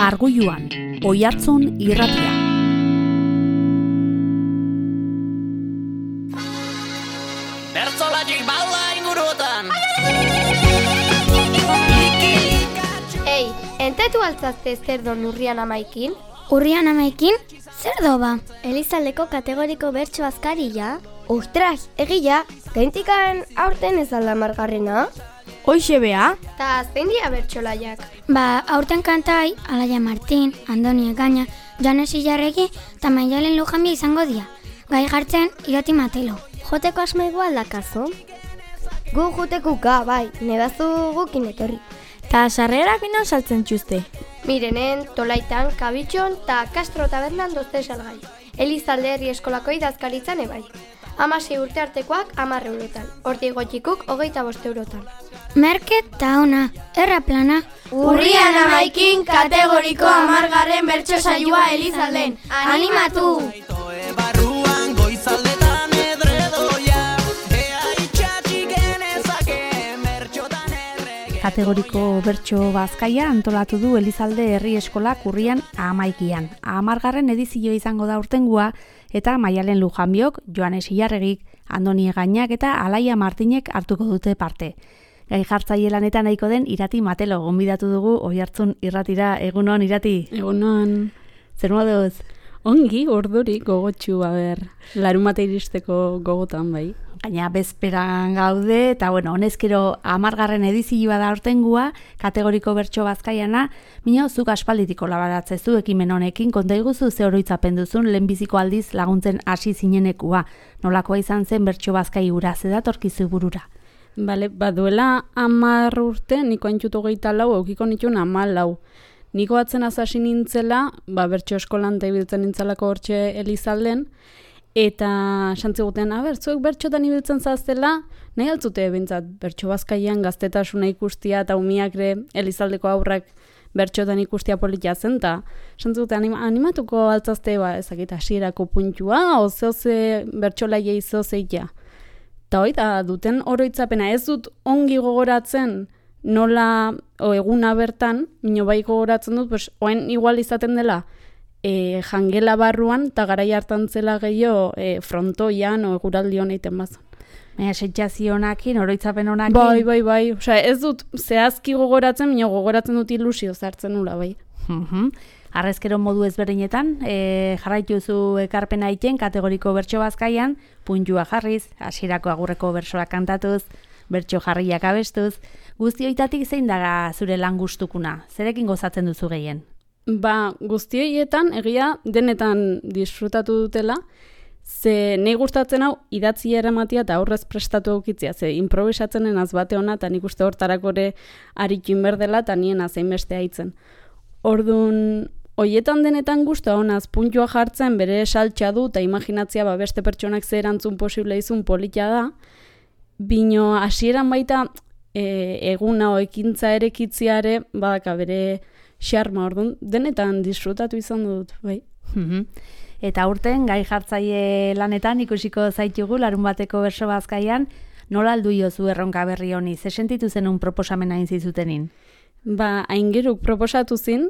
Arguluan, Oihartzun irratia. Bertzolatik bala inguruotan. Ei, entatu altzazte zer don urrian amaikin? Urrian amaikin? Zer doba? Elizaldeko kategoriko bertso azkaria? Ostras, egia, gaintikan aurten ez alda margarrena? Hoixe bea? Ta zein dira bertsolaiak? Ba, aurten kantai, Alaia Martin, Andoni Egaña, Joanes Ilarregi eta Maialen Lujambia izango dira. Gai jartzen, Irati Matelo. Joteko asma igual dakazu? Gu jutekuka, bai, nebazu gukin etorri. Ta sarrerak ino saltzen txuste. Mirenen, Tolaitan, Kabitxon eta Castro tabernan dozte salgai. Elizalde herri eskolako idazkaritzan ebai. 16 urte artekoak 10 eurotan. Hortik gotxikuk 25 eurotan. Merket ta ona, erra plana. Urrian amaikin kategoriko 10. bertso saioa Elizalden. Animatu! Barruan goizaldetan edredoia, ea itxatxik genezake mertxotan errege. Kategoriko bertso bazkaia antolatu du Elizalde herri eskolak urrian 11. 10. edizio izango da urtengua, eta Maialen Lujanbiok, Joanes Ilarregik, Andoni Egañak eta Alaia Martinek hartuko dute parte. Gai jartzaile lanetan nahiko den Irati Matelo gonbidatu dugu Oihartzun irratira. Egunon, Irati? Egunon. Zer moduz? Ongi, orduri, gogotxu, larunbata iristeko gogotan, bai. Gaina bezperan gaude, eta honezkero 10. edizioa da aurtengua, kategoriko bertso bazkaiana, minio zuk aspalditik kolaboratzezu ekimen honekin, konta iguzu ze oroitzapen duzun lehenbiziko aldiz laguntzen hasi zinenekua. Nolakoa izan zen bertso bazkai hura, zedatorkizu burura? Bale, baduela 10 urte, niko haintxutu 24, eukiko nituen 14. Niko atzen azasi nintzela, bertso eskolan eta ibiltzen nintzelako hortxe Elizalden, eta santziguten, zuek bertxotan ibiltzen zaztela, nahi altzute bintzat, bertso bazkaian gaztetasuna ikustia eta umiakre Elizaldeko aurrak bertxotan ikustia politia zen, eta santziguten animatuko altzazte, ezakit hasierako puntua, oze bertxolaia izozeitea. Eta hoi da, duten oroitzapena ez dut ongi gogoratzen, nola eguna bertan, mino bai gogoratzen dut, oen igual izaten dela, jangela barruan, eta garai hartan zela gehiago frontoian o eguraldi honeiten bazan. Baina sentsazio honakin, oroitzapen honakin? Bai. Osea, ez dut zehazki gogoratzen, mino gogoratzen dut ilusio zartzen nula, bai. Arrezkero modu ezberdinetan, jarraituzu ekarpena egiten kategoriko bertso bazkaian, puntua jarriz, hasierako agurreko bertsoak kantatuz, bertso jarriak abestuz, guzti hoitatik zein daga zure lan gustukuna? Zerekin gozatzen duzu gehien? Guzti horietan, egia denetan disfrutatu dutela, ze nahi gustatzen hau idatzi eramatia eta aurrez prestatu aukitzia, ze improvisatzenen azbate hona, eta nik uste hortarako ere arikin berdela, eta nien azein beste haitzen. Orduan, hoietan denetan guztua honaz puntua jartzen bere saltxa du, eta imaginatzia beste pertsonak ze erantzun posible izun politia da, bino hasieran baita eguna o ekintza erekitziare badaka bere xarma, orduan, denetan disfrutatu izan dut, bai. Eta urten, gai jartzaile lanetan ikusiko zaitugu larunbateko bertso bazkaian, nola aldu jozu erronka berri honi, ze sentitu zenun proposamena inzizutenin? Aingeruk proposatu zin,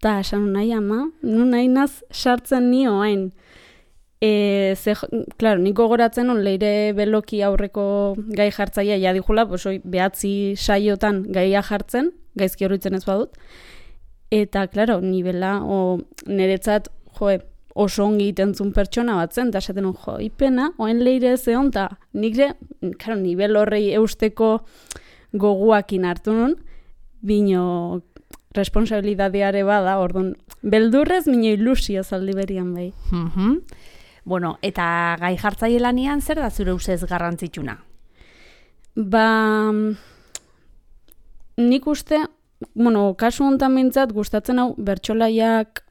eta esan nahi ama, nahi naz sartzen nio hain. Claro, niko goratzen on leire beloki aurreko gai jartzaia jadijula, behatzi saiotan gaia jartzen, gaizki horritzen ez badut. Eta, claro, nibela, niretzat, oso ongi itentzun pertsona bat zen, eta esaten ipena, oen leire ez egon, eta nikre, claro, nibel horrei eusteko goguakin hartu nun, bino responsabilidadeare bada, orduan, beldurrez, mino ilusio zaldi berian bai. Eta gai jartzaile lanian, zer da zure ustez garrantzitsuna? Nik uste, kasu honetan bintzat, gustatzen hau bertsolaiak,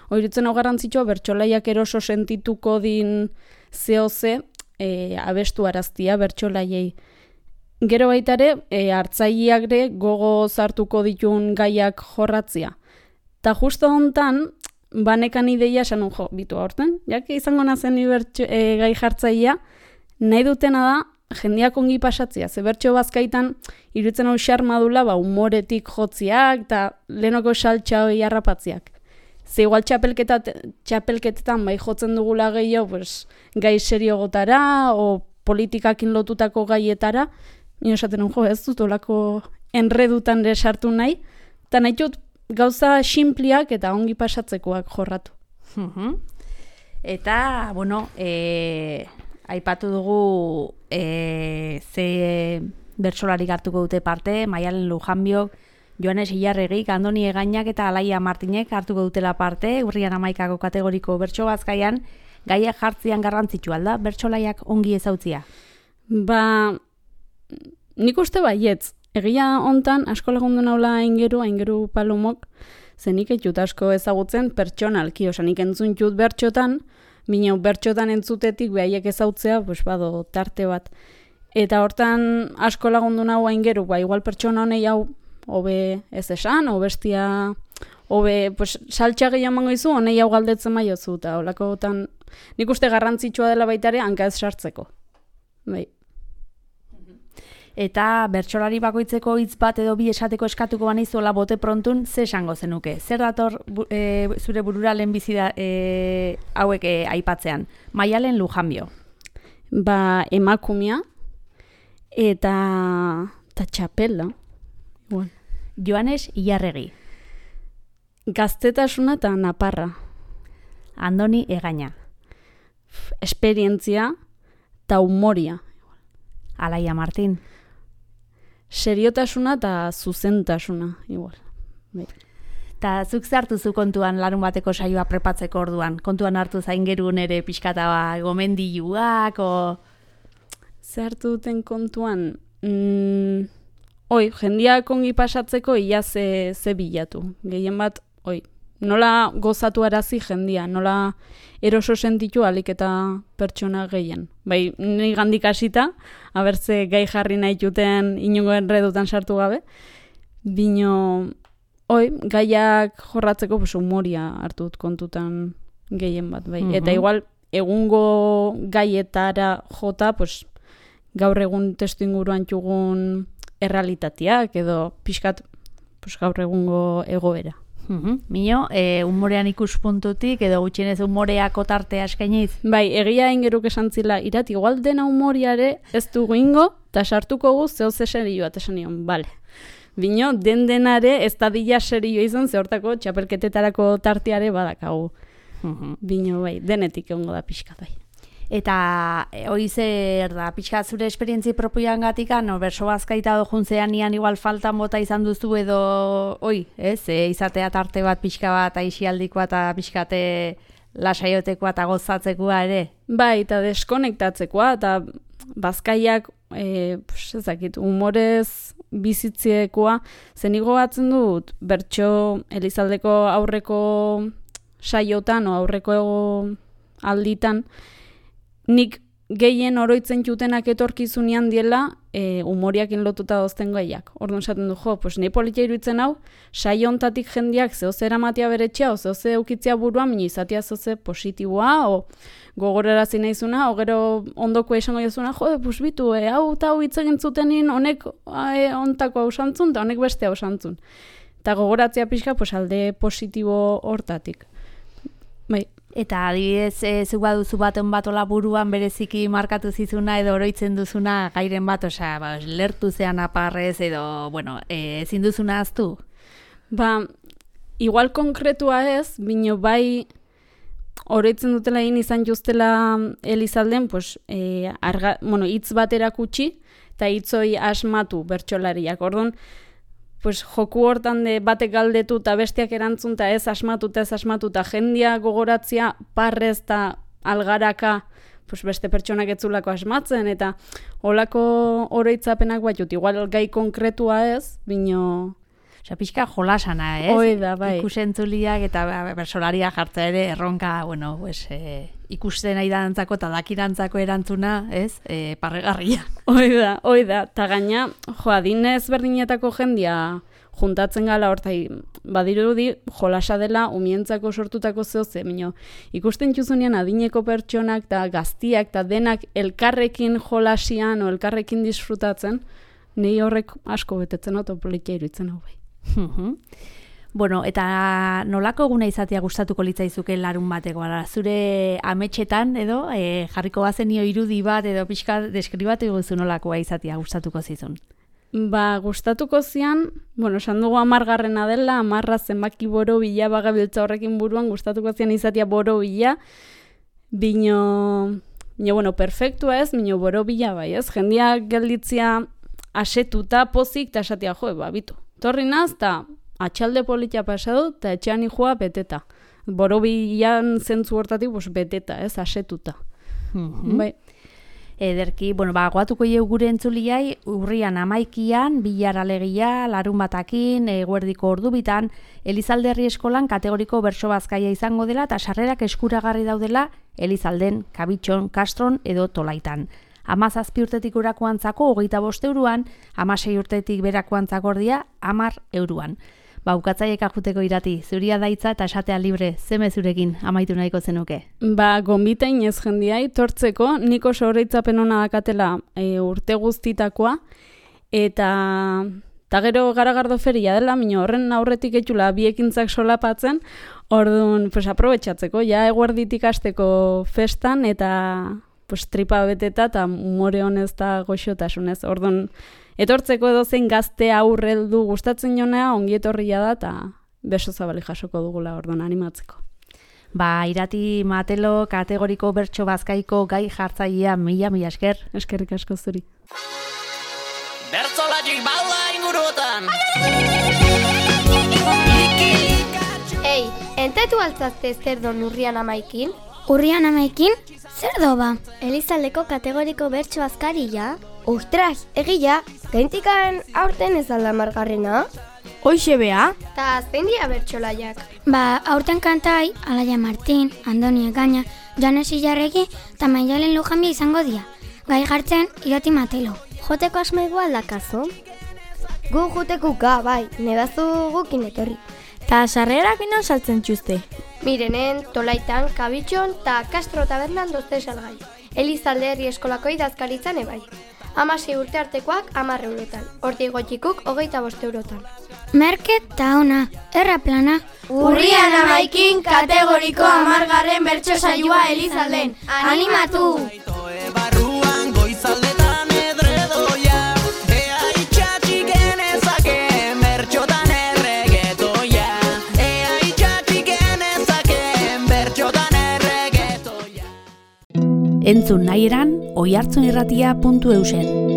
oiritzen hau garrantzitsua, bertsolaiak eroso sentituko din zehoze abestu araztia bertsolaiei. Gero baitare, hartzaileak ere gogo zartuko ditun gaiak jorratzia. Ta justo honetan, banekan ideia esan bitu aurten, jak izango nazen gai jartzailea, nahi dutena da jendeak ongi pasatzea, ze bertso bazkaitan iruditzen hau xarma dula, humoretik jotziak, eta lehenoko saltxa hori harrapatziak. Ze igual txapelketetan bai jotzen dugula gehiago, pues, gai seriogotara, o politikakin lotutako gaietara, nio esaten ez dut olako enredutan sartu nahi, eta nahi dut gauza xinpliak eta ongi pasatzekoak jorratu. Eta, bueno, aipatu dugu ze bertsolarik hartuko dute parte, Maialen Lujanbiok, Joanes Ilarregik, Andoni Egainak eta Alaia Martinek hartuko dutela parte, urrian 11ko kategoriko bertso bazkaian, gaiak jartzian garrantzitsua da, bertsolaiak ongi ezautzia? Ba, nik uste baietz. Egia hontan, asko lagundu naula aingeru palumok, zenik etxut asko ezagutzen pertsonalki, osa nik entzuntxut bertxotan, bineo bertxotan entzutetik behaiek ezautzea, pues bado tarte bat. Eta hortan asko lagundu nahu aingeru, ba, igual pertsona honei hau, hobe ez esan, bestia, hobe, pues, saltxa gehiago mango izu, honei hau galdetzen maiozu, eta holakotan, nik uste garrantzitsua dela baitare, hanka ez sartzeko. Bai. Eta bertsolari bakoitzeko hitz bat edo bi esateko eskatuko banizuela bote prontun, ze esango zenuke? Zer dator zure burura lehenbizi hauek aipatzean? Maialen Lujanbio. Ba, emakumea eta txapela. Bueno. Joanes Ilarregi. Gaztetasuna eta naparra. Andoni Egaina. Esperientzia eta humoria. Alaia Martin. Seriotasuna eta zuzentasuna, igual. Eta zuk zartu zu kontuan larun bateko saioa prepatzeko orduan? Kontuan hartu zaingerun ere pixkata gomendiluak, o... Zartu duten kontuan, jendiak ongi pasatzeko ia ze bilatu. Gehien bat, nola gozatu arazi jendia, nola eroso sentitu alik eta pertsona gehien. Bai, ni gandik hasita, abertze gai jarri nahi juten inongo enredutan sartu gabe, bino, gaiak jorratzeko humoria hartu dut kontutan gehien bat, bai. Eta igual, egungo gaietara jota, gaur egun testu inguruan txugun errealitateak edo pixkat gaur egungo egoera. Mino, humorean ikuspuntutik edo gutxienez humoreako tartea eskainiz? Bai, egia ingeruk esan zila, irat, igual dena humoriare ez dugu ingo, eta sartuko gu zehose serioa, eta esan nion, bale. Bino, denare ez da dila serioa izan, zehortako txapelketetarako tarteare badakagu. Bino, bai, denetik egongo da pixka, bai. Eta hori zer da, pixka zure esperientzi propioan gatikan, berso bazkaita dojuntzean nian igual faltan bota izan duzu edo, izatea tarte bat pixka bat, aixialdikoa eta pixkate lasaiotekoa eta gozatzekoa ere? Bai, eta deskonektatzekoa, eta bazkaiak, ezakit, humorez bizitziekoa, zenigo batzen dut, bertso Elizaldeko aurreko saiotan, o aurreko alditan, nik gehien oroitzen jutenak etorkizunean diela humoriakin lotuta dozten gaiak. Orduan esaten du, ni politia iruditzen hau, saio hontatik jendiak zehoze eramatia beretxea, o zehoze eukitzea buruan, mini izatea zehoze positiboa, o gogorarazi nahizuna, o gero ondoko esango jazuna, bitu, hau eta hau hitz egin zutenin, honek ontako hau santzun, eta honek beste hau santzun. Eta gogoratzea pixka, alde positibo hortatik. Bai. Eta adibidez, zuk baduzu baten batola buruan bereziki markatu zizuna edo oroitzen duzuna gairen bat, lertu zean aparrez edo, ezin duzuna aztu? Ba, igual konkretua ez, bino bai oroitzen dutela egin izan justela Elizalden, hitz bat erakutsi, eta hitzoi asmatu bertsolariak. Orduan, joku hortan batek galdetu eta besteak erantzun eta ez asmatu eta jendia gogoratzia parrez eta algaraka beste pertsonak etzulako asmatzen eta holako oroitzapenak batut. Igual gai konkretua ez, bino... Pixka jolasana, ez? Hoi da, bai. Ikusentzuliak eta bersolaria jartza ere erronka, ikusten nahi dantzako eta dakirantzako erantzuna, ez? Parregarria. Hoi da. Ta gaina, adinez berdinetako jendia juntatzen gala hortai, badirudi jolasa dela umientzako sortutako zehoze, ikusten txuzunean adineko pertsonak eta gaztiak eta denak elkarrekin jolasian o elkarrekin disfrutatzen, nei horrek asko betetzen oto politia iruditzen hau bai. Bueno, eta nolako eguna izatea gustatuko litzaizuke larun bateko, zure ametxetan edo jarriko bazenio irudi bat edo pixka deskribatu guzu nolakoa izatea gustatuko zizun? Ba, gustatuko zian, esan dugu 10garrena dela, 10 zenbaki borobila bagabiltza horrekin buruan, gustatuko zian izatea borobila, bino, perfektua ez, bino borobila bai ez, jendia gelditzia asetuta, pozik, eta esatia bitu, torri naz, eta atxalde politia pasadu, eta etxean joa beteta. Borobilan zentzu hortatik, beteta, ez, asetuta. Bai. Ederki, goatuko jau gure entzuliai, urrian 11an, bilar alegia, larun batakin, eguerdiko ordubitan, Elizalde Herri Eskolan kategoriko bertso bazkaia izango dela, eta sarrerak eskuragarri daudela Elizalden, Kabitxon, Kastron edo Tolaitan. 17 urtetik urakoantzako 25 euroan, 16 urtetik berakoantzako ordia 10 euroan. Ukatzaiek ajuteko irati, zuria daitza eta esatea libre, zeme zurekin amaitu nahiko zenuke? Gonbitain ez jendiai, tortzeko, niko soreitzapen hona dakatela urte guztitakoa, eta gero garagardo feria dela, horren aurretik etxula biekintzak solapatzen, orduan, aprobetxatzeko, ja eguerditik hasteko festan, eta tripa beteta eta umore honez eta goxotasunez. Orduan, etortzeko edozein gazte aurreldu gustatzen jonea, ongi etorria da eta beso zabali jasoko dugula orduan animatzeko. Irati Matelo kategoriko bertso bazkaiko gai jartzailea mila esker. Eskerrik asko zuri. Bertzolatik bala inguruotan. Ei, entetu altzazte zer don urrian 11? Urrian 11? Zer doba? Elizaldeko kategoriko bertso azkaria? Ostras, egia, gaintikan aurten ez alda 10garrena? Hoixe bea? Ta zein dia bertsolaiak? Aurten kantai, Alaia Martin, Andoni Egaña, Joanes Illarregi eta Maialen Lujanbia izango dia. Gai jartzen, Irati Matelo. Joteko asma igual dakazu? Gu jutekuka, bai, nedazu gukin etorri. Ta sarrerak inon saltzen txuste? Mirenen, Tolaitan, Kabitxon eta Kastro tabernan dozte salgai. Elizalde Herri Eskolako idazkaritzan ebai. 16 urte artekoak 10 eurotan. Hortik gotxikuk 25 eurotan. Merket ta ona, erra plana. Urrian 11 kategoriko 10garren bertso saioa Elizalden. Animatu! Barruan goizaldetan edredoia, ea itxatxik genezake bertxotan erregetoia, ea itxatxik genezake bertxotan erregetoia. Entzun nahi eran, oihartzunirratia.eusen.